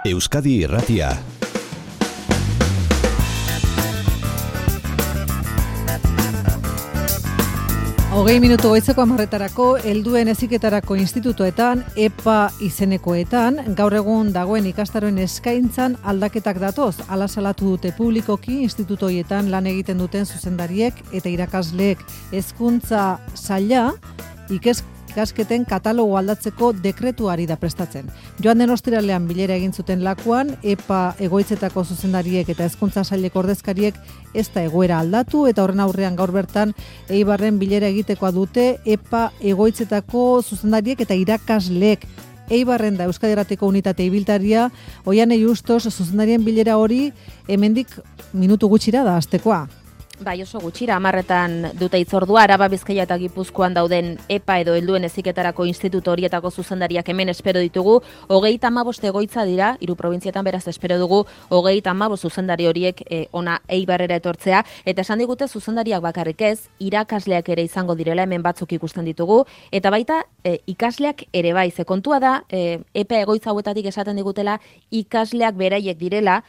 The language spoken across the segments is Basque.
Euskadi Irratia. Hogei minutu goizeko 10:00 helduen heziketarako institutoetan, EPA izenekoetan, gaur egun dagoen ikastaroen eskaintzan aldaketak datoz. Hala salatu dute publikoki instituto horietan lan egiten duten zuzendariek eta irakasleek. Hezkuntza saila ikasketen katalogo aldatzeko dekretuari da prestatzen. Joan den ostiralean bilera egin zuten lakuan, EPA egoitzetako zuzendariek eta hezkuntza saileko ordezkariek ez da egoera aldatu, eta horren aurrean gaur bertan Eibarren bilera egitekoa dute EPA egoitzetako zuzendariek eta irakasleek. Eibarren da Euskadi Irratiko unitate ibiltaria, Oiane Justos zuzendarien bilera hori hemendik minutu gutxira da hastekoa. Bai, oso gutxira, 10:00 dute hitzordua. Araba, Bizkaia eta Gipuzkoan dauden EPA edo helduen heziketarako instituto horietako zuzendariak hemen espero ditugu. 35 egoitza dira, 3 probintzietan, beraz espero dugu 35 zuzendari horiek ona Eibarrera etortzea, eta esan digute zuzendariak bakarrik ez, irakasleak ere izango direla, hemen batzuk ikusten ditugu, eta baita ikasleak ere bai. Ze kontua da, EPA egoitza hauetatik esaten digutela ikasleak beraiek direla,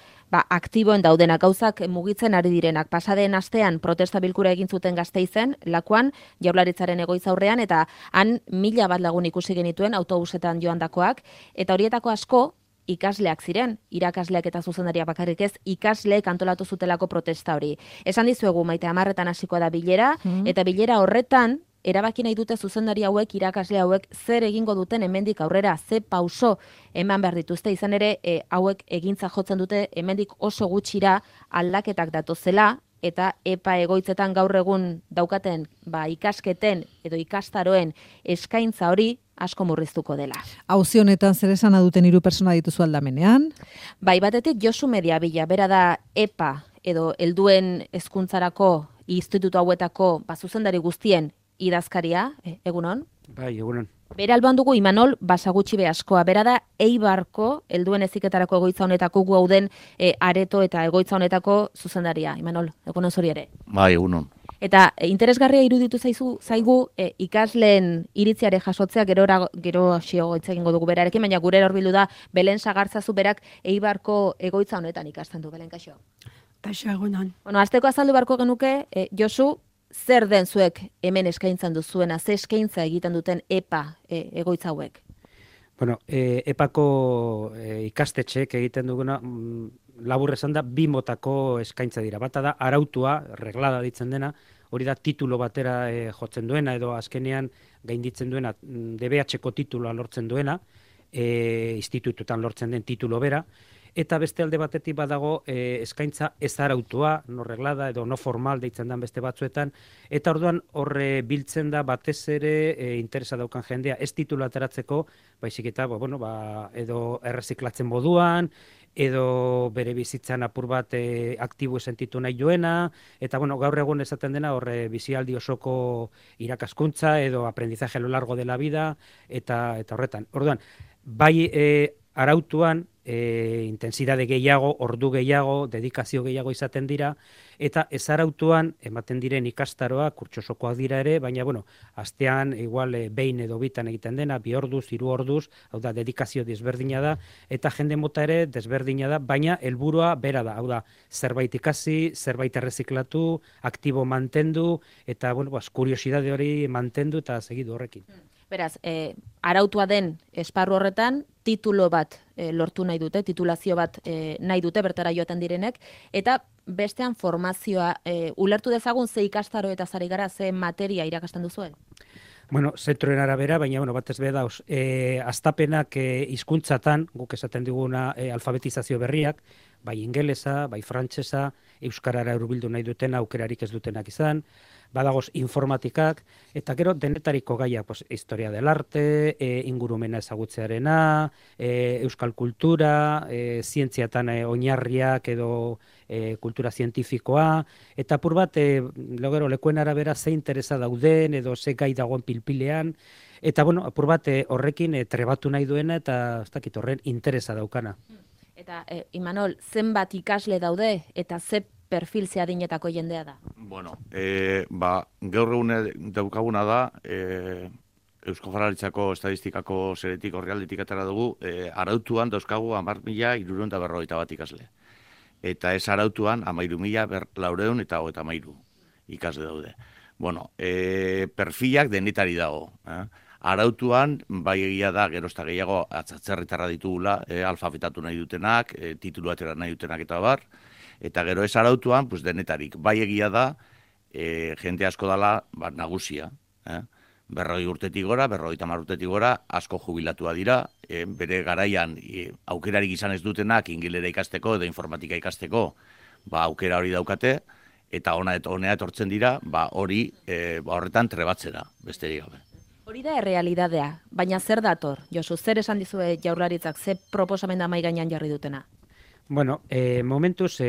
aktiboen daudenak, gauzak mugitzen ari direnak. Pasaden astean protesta bilkura egin zuten Gasteizen, lakuan, Jaurlaritzaren egoitza aurrean, eta han 1000 lagun ikusi genituen autobusetan joandakoak, eta horietako asko ikasleak ziren, irakasleak eta zuzendariak bakarrik ez, ikasleek antolatu zutelako protesta hori. Esan dizuegu, Maite, 10:00 hasiko da bilera, eta bilera horretan, erabaki nahi dute zuzendari hauek, irakasle hauek, zer egingo duten hemendik aurrera, ze pauso eman behar dituzte, izan ere hauek egintza jotzen dute hemendik oso gutxira aldaketak datozela, eta EPA egoitzetan gaur egun daukaten ikasketen edo ikastaroen eskaintza hori asko murriztuko dela. Auzi honetan zer esana duten 3 pertsona dituzu aldamenean? Bai, batetik Josu Mediabila, bera da EPA edo helduen hezkuntzarako instituto hauetako zuzendari guztien idazkaria, egunon? Bai, egunon. Bere alboan dugu Imanol Basagutxi Beaskoa, bera da Eibarko helduen heziketarako egoitza honetako gu hauden areto eta egoitza honetako zuzendaria. Imanol, egunon zuri ere. Bai, egunon. Eta interesgarria iruditu zaigu ikasleen iritziare jasotzea, gero xio hitz egingo dugu berarekin, baina gure hor bildu da Belen Sagartzazu berak Eibarko egoitza honetan ikasten du, Belen, kaixo. Kaixo, egunon. Bueno, azteko azaldu beharko genuke, Josu, zer den zuek hemen eskaintzan duzuena, ze eskaintza egiten duten EPA egoitza hauek? Bueno, EPAko ikastetxeek egiten duguna, labur esan da, 2 motako eskaintza dira. Bata da, arautua, reglada ditzen dena, hori da titulo batera jotzen duena, edo azkenean gainditzen duena, DBH-ko tituloa lortzen duena, institututan lortzen den titulo bera, eta beste alde batetik badago eskaintza ez arautua, no reglada edo no formal deitzen den beste batzuetan, eta orduan horre biltzen da batez ere interesa daukan jendea ez titulu ateratzeko, baizik eta edo erreziklatzen moduan, edo bere bizitzan apur bat aktibo sentitu nahi duena, eta gaur egun esaten dena horre bizialdi osoko irakaskuntza edo aprendizaje a lo largo de la vida, eta horretan. Orduan, bai arautuan, intensidade gehiago, ordu gehiago, dedikazio gehiago izaten dira, eta ez arautuan ematen diren ikastaroa kurtsosokoak dira ere, baina astean igual behin edo bitan egiten dena, 2 orduz, 3 orduz, hau da, dedikazio desberdina da, eta jende mota ere desberdina da, baina helburua bera da, hau da, zerbait ikasi, zerbait erreziklatu, aktibo mantendu, eta kuriosidade hori mantendu eta segidu horrekin. Beraz, arautua den esparru horretan, titulo bat lortu nahi dute, titulazio bat nahi dute bertara joaten direnek, eta bestean formazioa, ulertu dezagun ze ikastaro eta zari gara, ze materia irakasten duzuen? Zentroen arabera, baina batez be dauz, astapenak hizkuntzatan, guk esaten diguna alfabetizazio berriak, bai ingelesa, bai frantsesa, euskarara hurbildu nahi duten aukerarik ez dutenak izan, badagoz informatikak, eta gero denetariko gaia, historia del arte, ingurumena ezagutzearena, euskal kultura, zientziatan oinarriak edo kultura zientifikoa, eta apur bat, lekuen arabera ze interesa dauden, edo ze gai dagoen pilpilean, eta apur bat horrekin trebatu nahi duena, eta ez dakit horren interesa daukana. Eta, Imanol, zenbat ikasle daude, eta ze perfil zeadinetako jendea da? Gaur egun daukaguna da, Eusko Jaurlaritzako Estatistikako zeretik orrialdetik atera dugu, arautuan dauzkagu 10.651 ikasle. Eta ez arautuan 13.433 ikasle daude. Bueno, perfilak denetari dago. Arautuan, bai egia da, gerozta gehiago atzatzerritarra ditugula, alfabetatu nahi dutenak, titulu atera nahi dutenak eta bar, eta gero ez arautuan, pues denetarik. Bai egia da, jende asko dala nagusia. 40 urtetik gora, 50 urtetik gora, asko jubilatua dira, bere garaian aukerarik izan ez dutenak ingilera ikasteko edo informatika ikasteko, aukera hori daukate, eta honea etortzen dira, hori horretan trebatzera, besterik gabe. Hori da errealidadea, baina zer dator? Josu, zer esan dizue Jaurlaritzak, ze proposamen da mahai gainean jarri dutena? Bueno, momentuz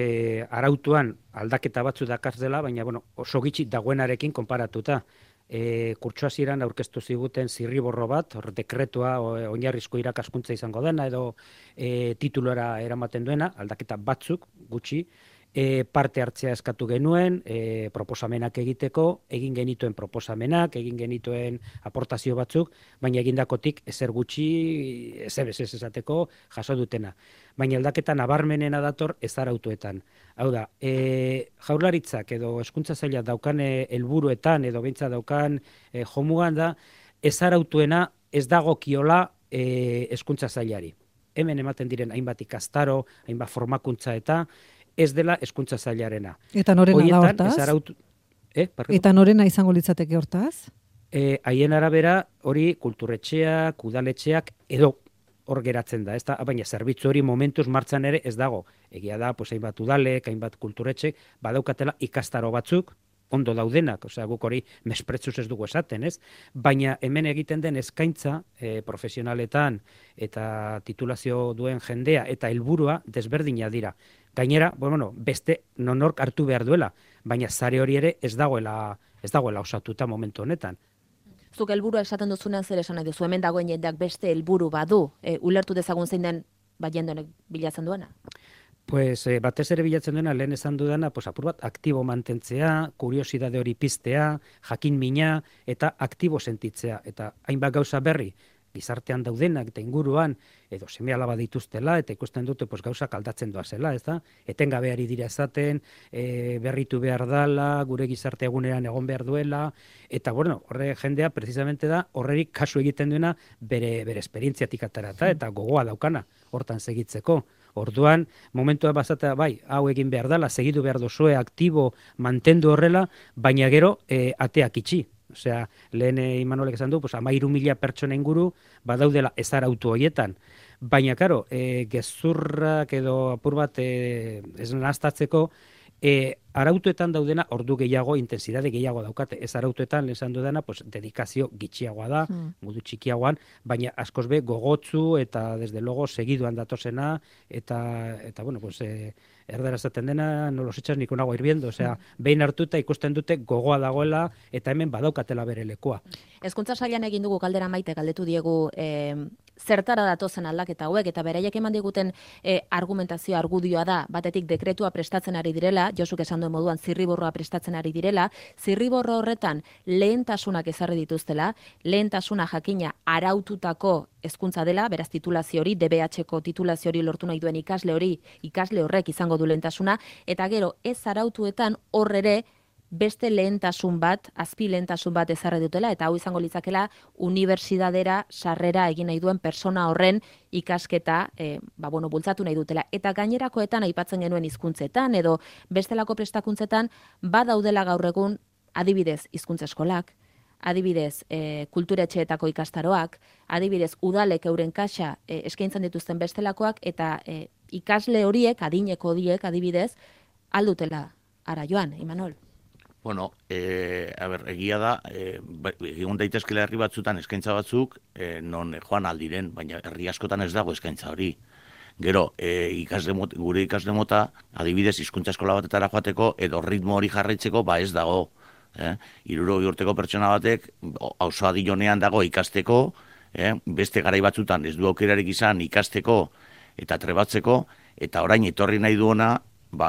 arautuan aldaketa batzu dakar dela, baina oso gitxi dagoenarekin konparatuta. Kurtso hasieran aurkeztu ziguten zirriborro bat, dekretua oinarrizko irakaskuntza izango dena edo titulora eramaten duena, aldaketa batzuk gutxi, parte hartzea eskatu genuen, proposamenak egiteko, egin genituen proposamenak, egin genituen aportazio batzuk, baina egindakotik ezer gutxi, ezer esateko jaso dutena. Baina aldaketa nabarmenena dator ez arautuetan. Hau da, Jaurlaritzak edo hezkuntza saila daukan helburuetan edo beintza daukan jomugan da, ez arautuena ez dagokiola hezkuntza sailari. Hemen ematen diren hainbat ikastaro, hainbat formakuntza eta ez dela hezkuntza sailarena. Eta norena da hortaz? Eta norena izango litzateke hortaz? Haien arabera hori kulturetxeak, udaletxeak edo hor geratzen da, baina zerbitzu hori momentuz martxan ere ez dago. Egia da, hainbat udalek, hainbat kulturetxek, badaukatela ikastaro batzuk, ondo daudenak, guk hori mespretzuz ez dugu esaten, ez? Baina hemen egiten den eskaintza profesionaletan eta titulazio duen jendea eta helburua desberdina dira. Gainera, beste nonork hartu behar duela, baina sare hori ere ez dagoela osatuta momentu honetan. Zuk helburua esaten duzunean zer esan nahi duzu, hemen dagoen jendeak beste helburu badu, ulertu dezagun zein den jendeonek bilatzen duena? Batez ere bilatzen duena, lehen esan dudana, apur bat aktibo mantentzea, kuriosidade hori piztea, jakin mina eta aktibo sentitzea. Eta hainbat gauza berri, gizartean daudenak eta inguruan, edo seme-alaba dituztela, eta ikusten dute gauzak aldatzen doazela, ez da? Etengabe ari dira esaten, berritu behar dala, gure gizarte eguneran egon behar duela, eta horre jendea, precisamente da, horrerik kasu egiten duena bere esperientziatik atarata, eta gogoa daukana, hortan segitzeko. Orduan, momentua bazatea, hau egin behar dela, segidu behar duzue, aktibo, mantendu horrela, baina gero ateak itxi. Osea, lehen Imanolek esan du, 13.000 pertsona inguru badaudela ez arautu horietan. Baina, karo, gezurrak edo apur bat ez nahaztatzeko, arautuetan daudena ordu gehiago, intensidade gehiago daukate. Ez arautuetan, esan dudana, dedikazio gitxiagoa da, modu txikiagoan, baina askoz be gogotzu eta, desde logo, segiduan datosena, eta erdera esaten dena, no los echas ni con agua hirviendo, osea, behin hartuta ikusten dute gogoa dagoela, eta hemen badaukatela bere lekua. Hezkuntza sailan egin dugu galdera Maite galdetu diegu zertara datozen aldaketa hauek, eta beraiek eman diguten argumentazio argudioa da, batetik dekretua prestatzen ari direla, Josuk esan duen moduan zirriborroa prestatzen ari direla, zirriborro horretan lehentasunak ezarri dituztela, lehentasuna jakina araututako hezkuntza dela, beraz titulazio hori, DBH-ko titulazio hori lortu nahi duen ikasle horrek izango du lehentasuna, eta gero ez arautuetan horrere beste lehentasun bat, azpi lehentasun bat ezarri dutela, eta hau izango litzakela unibertsitatera sarrera egin nahi duen persona horren ikasketa bultzatu nahi dutela. Eta gainerakoetan aipatzen genuen hizkuntzetan edo bestelako prestakuntzetan badaudela gaur egun adibidez hizkuntza eskolak, adibidez kulturetxeetako ikastaroak, adibidez udalek euren kaxa eskaintzen dituzten bestelakoak, eta ikasle horiek, adineko horiek adibidez, aldutela ara joan, Imanol. Egia da, egun daitezkela herri batzutan eskaintza batzuk, non joan aldiren, baina herri askotan ez dago eskaintza hori. Gero, gure ikasle mota, adibidez, hizkuntza eskola batetara joateko, edo ritmo hori jarraitzeko, ez dago. 60 urteko pertsona batek, auzo adilonean dago ikasteko, beste garai batzutan ez du aukerarik izan ikasteko eta trebatzeko, eta orain etorri nahi duena,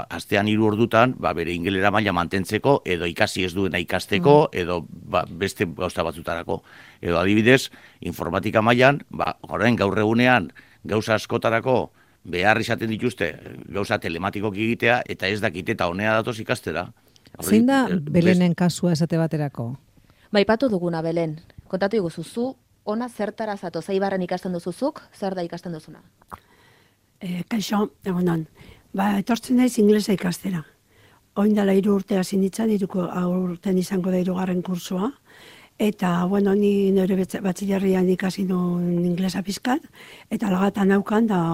astean 3 ordutan, bere ingelera maila mantentzeko, edo ikasi ez duena ikasteko, edo beste gauza batzutarako. Edo adibidez, informatika mailan, orain gaur egunean gauza askotarako behar izaten dituzte gauza telematikok egitea, eta ez dakite eta honea datoz ikastera. Zein da Belenen kasua esate baterako? Aipatu duguna, Belen. Kontatu iguzuzu, ona zertara zato, Eibarren ikasten duzuzuk, zer da ikasten duzuna? Kaixo, egunon. Etortzen naiz inglesa ikastera. Oindala 3 urte hasi nintzen, 3 urten izango da 3. kursua. Eta, ni nire batxilerrian ikasi nuen inglesa pizkat, eta lagatan naukan, da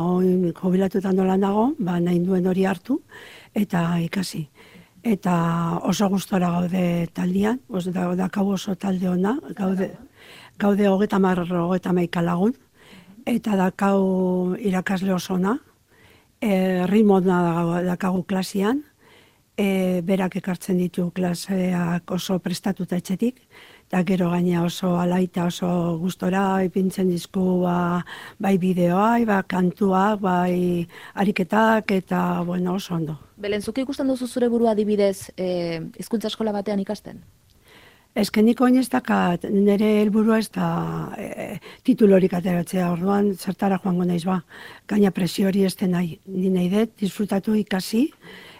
jubilatutan nola nago, nahi duen hori hartu, eta ikasi. Eta oso gustora gaude taldean, dakau oso talde ona, gaude 30 lagun, eta dakau irakasle oso ona, ritmo dakagu klasian, berak ekartzen ditu klaseak oso prestatuta etxetik, eta gero gaina oso alaita oso gustora ipintzen dizku bai bideoa, bai kantuak, bai ariketak, eta oso ondo. Belen, zuk ikusten duzu zure burua adibidez hizkuntza eskola batean ikasten? Nik oin ez dakat, nire helburua ez da titulorik ateratzea, orduan zertara joango naiz gaina presio hori ez den nahi. Ni nahi dut, disfrutatu ikasi,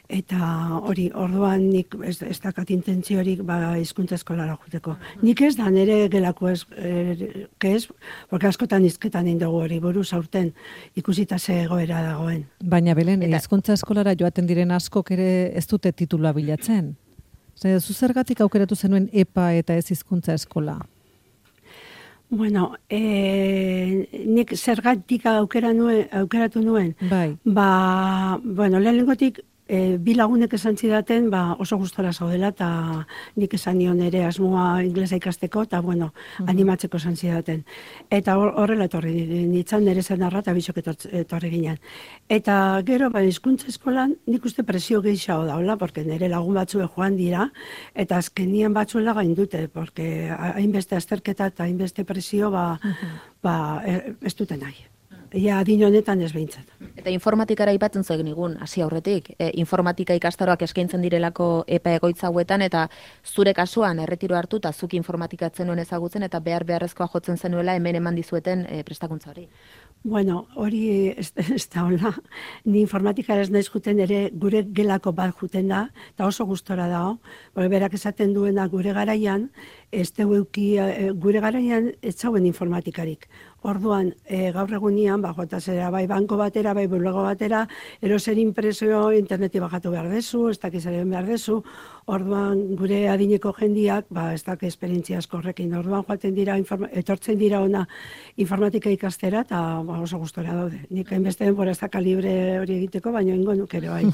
eta orduan nik ez dakat intentziorik hizkuntza eskolara juteko. Nik ez da nire gelako ez, porque askotan hizketan indogu hori buruz aurten ikusita ze egoera dagoen. Baina Belen, hizkuntza eskolara joaten diren askok ere ez dute titulua bilatzen. Zu zergatik aukeratu zenuen EPA eta ez hizkuntza eskola? Nik zergatik aukeratu nuen. Bai. Lehenengotik bi lagunek esan zidaten oso gustora zaudela, eta nik esan nion ere asmoa inglesa ikasteko, eta animatzeko esan zidaten. Eta horrela etorri nintzen nire zenarra eta bisok etorri ginen. Eta gero, hizkuntza eskolan nik uste presio gehiago daula, porque nire lagun batzue joan dira, eta azkenien batzuela gain dute, porque hainbeste azterketa eta hainbeste presio ez dute nahi. Adin honetan ez behintzat. Eta informatikara aipatzen zuen nigun, hasi aurretik, informatika ikastaroak eskaintzen direlako EPA egoitza hauetan, eta zure kasuan erretiro hartu eta zuk informatikatzen nuen ezagutzen, eta beharrezkoa jotzen zenuela hemen eman dizueten prestakuntza hori. Hori ez da hola. Ni informatikara ez naiz juten ere gure gelako bat juten da, eta oso gustora dago. Berak esaten duena gure garaian, gure garaian ez zauen informatikarik. Orduan, gaur egunian, jota zera, bai banko batera, bai bulego batera, eroser impresio interneti bajatu behar dezu, ez dakizaren behar dezu, orduan gure adineko jendiak, ez dak esperientzia asko horrekin, orduan etortzen dira ona informatika ikastera, eta oso gustora daude. Nik hainbeste denbora ez daka libre hori egiteko, baina ingo nuk ere bai.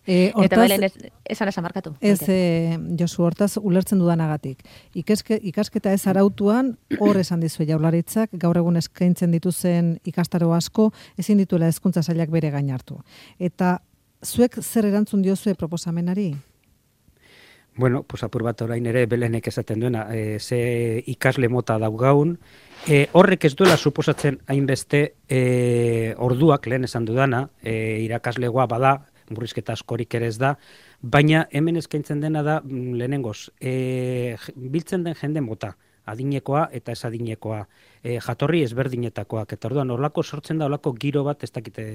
Eta Belen, esan markatu. Ez, Josu, hortaz ulertzen dudanagatik. Ikasketa ez arautuan, hor esan dizue Jaurlaritzak, gaur egun eskaintzen dituzen ikastaro asko, ezin dituela hezkuntza sailak bere gain hartu. Eta zuek zer erantzun diozue proposamenari? Apur bat orain ere Belenek esaten duena, ze ikasle mota daugaun, horrek ez duela suposatzen hainbeste orduak, lehen esan dudana, irakaslegoa bada, murrizketa askorik ere ez da, baina hemen eskaintzen dena da lehenengoz, biltzen den jende mota, adinekoa eta ez adinekoa, jatorri ezberdinetakoak, eta orduan horlako sortzen da horlako giro bat, ez dakite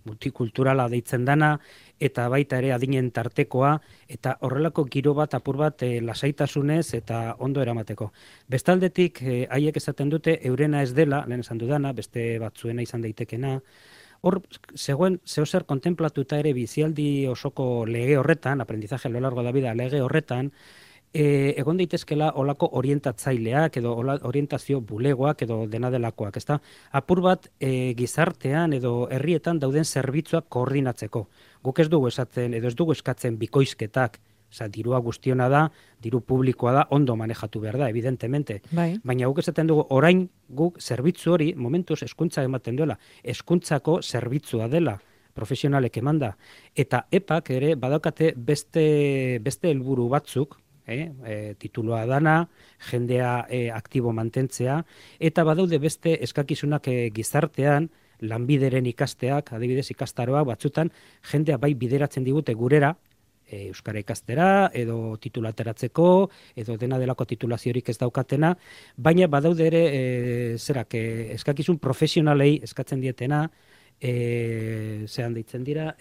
multikulturala deitzen dana, eta baita ere adinen tartekoa, eta horrelako giro bat apur bat lasaitasunez eta ondo eramateko. Bestaldetik, haiek esaten dute, eurena ez dela, lehen esan dudana, beste batzuena izan daitekena, hor, zegoen, zehozer kontemplatuta ere bizialdi osoko lege horretan, aprendizaje a lo largo de la vida lege horretan, egon daitezkela olako orientatzaileak edo orientazio bulegoak edo dena delakoak, ezta? Apur bat gizartean edo herrietan dauden zerbitzuak koordinatzeko. Guk ez dugu esatzen edo ez dugu eskatzen bikoizketak, dirua guztiona da, diru publikoa da, ondo manejatu behar da, evidentemente. Bai. Baina guk esaten dugu, orain guk zerbitzu hori, momentuz hezkuntza ematen duela, hezkuntzako zerbitzua dela, profesionalek emanda. Eta EPAk ere badaukate beste helburu batzuk, tituloa dana, jendea aktibo mantentzea, eta badaude beste eskakizunak gizartean, lanbideren ikasteak, adibidez ikastaroak batzutan, jendea bai bideratzen digute gurera, euskara ikastera, edo titulateratzeko, edo dena delako titulaziorik ez daukatena, baina badaude ere, eskakizun profesionalei eskatzen dietena, zehan deitzen dira,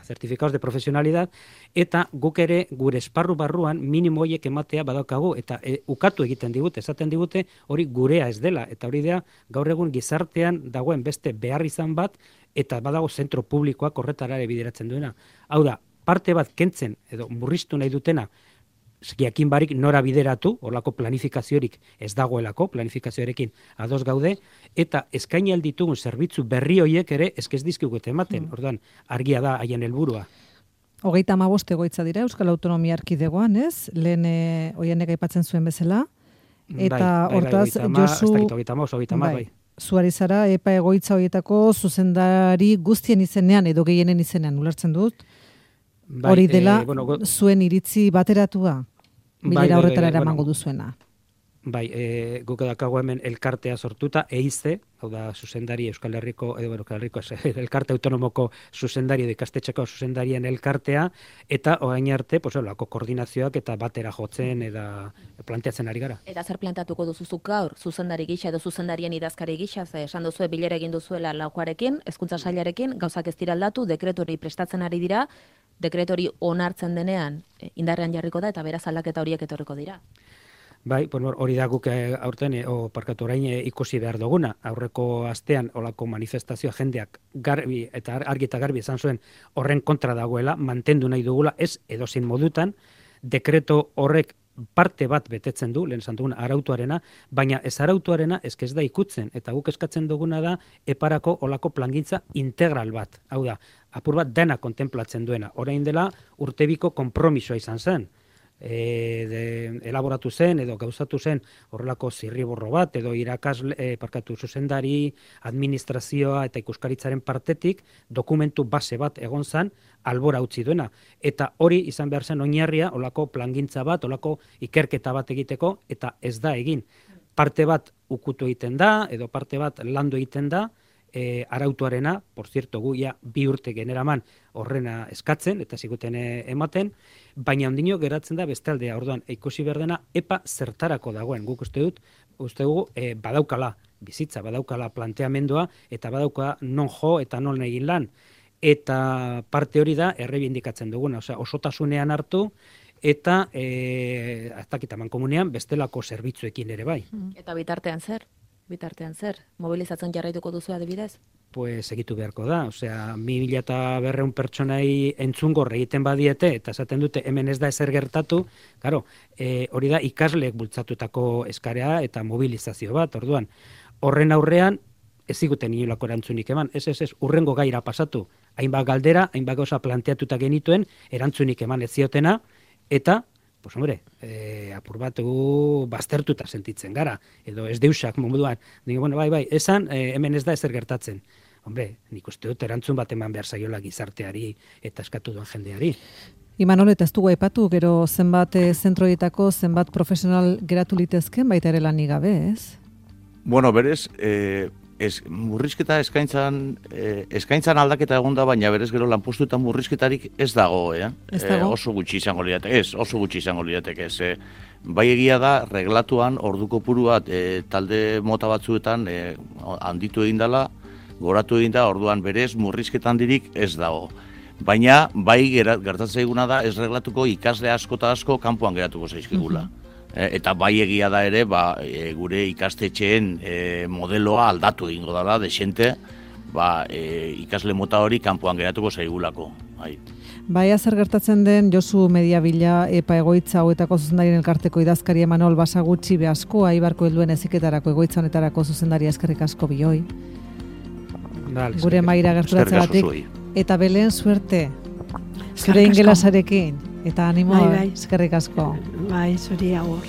certificados de profesionalidad, eta guk ere gure esparru barruan minimo horiek ematea badaukagu, eta ukatu egiten digute, esaten digute hori gurea ez dela, eta hori da gaur egun gizartean dagoen beste behar izan bat, eta badago zentro publikoak horretara ere bideratzen duena. Hau da, parte bat kentzen edo murriztu nahi dutena, jakin barik nora bideratu, horlako planifikaziorik ez dagoelako, planifikazioarekin ados gaude, eta eskaini alditugun zerbitzu berri horiek ere ez dizkigute ematen, orduan argia da haien helburua. 35 egoitza dira Euskal Autonomia Erkidegoan, ez? Lehen Oianek aipatzen zuen bezala, eta hortaz Josu... Bai. Zuari zara, EPA egoitza horietako zuzendari guztien izenean edo gehienen izenean, ulertzen dut? Hori dela, zuen iritzi bateratua, bilera horretara eramango duzuena. Bai, guk edakago hemen elkartea sortuta, EIZE, hau da zuzendari Euskal Herriko, elkarte autonomoko zuzendari edo ikastetxeko zuzendarien elkartea, eta orain arte, lako koordinazioak eta batera jotzen eta planteatzen ari gara. Eta zer planteatuko duzuzuk gaur, zuzendari gisa edo zuzendarien idazkari gisa, esan duzue bilera egin duzuela laukoarekin, hezkuntza sailarekin, gauzak ez dira aldatu, dekretori prestatzen ari dira, dekretori onartzen denean indarrean jarriko da, eta beraz aldaketa horiek etorriko dira. Bai, hori da guk aurten, orain ikusi behar duguna. Aurreko astean olako manifestazioa jendeak garbi eta argi eta garbi esan zuen horren kontra dagoela, mantendu nahi dugula, ez edozein modutan, dekreto horrek parte bat betetzen du, lehen esan duguna, arautuarena, baina ez arautuarena ez da ikutzen, eta guk eskatzen duguna da eparako olako plangintza integral bat. Hau da, apur bat dena kontemplatzen duena. Orain dela urtebiko konpromisoa izan zen. Elaboratu zen edo gauzatu zen horrelako zirriborro bat edo zuzendari, administrazioa eta ikuskaritzaren partetik dokumentu base bat egon zen albora utzi duena. Eta hori izan behar zen oinarria, olako plangintza bat, olako ikerketa bat egiteko, eta ez da egin. Parte bat ukutu egiten da, edo parte bat landu egiten da, arautuarena, por cierto, gu ja 2 urte generaman horrena eskatzen, eta ziguten ematen, baina ondino geratzen da bestaldea, orduan, ikusi behar dena, EPA zertarako dagoen, guk uste dugu, badaukala bizitza, badaukala planteamendua, eta badauka non jo eta non egin lan, eta parte hori da errebindikatzen duguna, osotasunean hartu, eta aztakitaman komunean bestelako zerbitzuekin ere bai. Eta bitartean zer? Mobilizatzen jarraituko duzu adibidez? Pues egitu beharko da, 1.200 pertsonai entzungor egiten badiete, eta esaten dute hemen ez da ezer gertatu, hori da ikasleek bultzatutako eskarea eta mobilizazio bat, orduan, horren aurrean, ez ziguten inolako erantzunik eman, ez, urrengo gaira pasatu, hainbat galdera, hainbat gauza planteatuta genituen, erantzunik eman ez ziotena, eta, apur bat baztertuta sentitzen gara, edo ez deusak moduan, bai, esan, hemen ez da ezer gertatzen. Nik uste dut erantzun bat eman behar zaiola gizarteari eta eskatu duen jendeari. Imanol, eta ez dugu aipatu, gero zenbat zentroietako, zenbat profesional geratu litezken, baita ere lanik gabe, ez? Bueno, berez, murrizketa eskaintzan aldaketa egon da, baina berez gero lanpostuetan murrizketarik ez dago, oso gutxi izango lirateke, bai egia da, reglatuan, orduko puruat, talde mota batzuetan handitu egin dela, goratu egin da, orduan berez murrizketan dirik ez dago. Baina, bai gertatzen eguna da, ez reglatuko ikasle asko eta asko kanpoan geratuko zaizkigula. Eta bai egia da ere, gure ikastetxeen modeloa aldatu egingo dela, desente, ikasle mota hori kanpoan geratuko zaigulako. Baia zer gertatzen den Josu Mediabila EPA egoitza hauetako zuzendarien elkarteko idazkari Emanol Basagutxi Beasko, Aibarko helduen heziketarako egoitza honetarako zuzendaria eskerrik asko bioi. Gure maira gerturatzegatik. Eta Belen suerte. Zure ingelasarekin. Eta animo, eskerrik asko. Bai, zuri agur.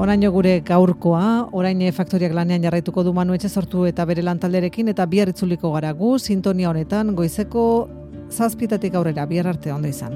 Oraino gure gaurkoa, orain faktoriak lanean jarraituko du Manu Etxezortu eta bere lantalderekin, eta bihar itzuliko gara gu, sintonia honetan, goizeko 7:00 aurrera, bihar arte ondo izan.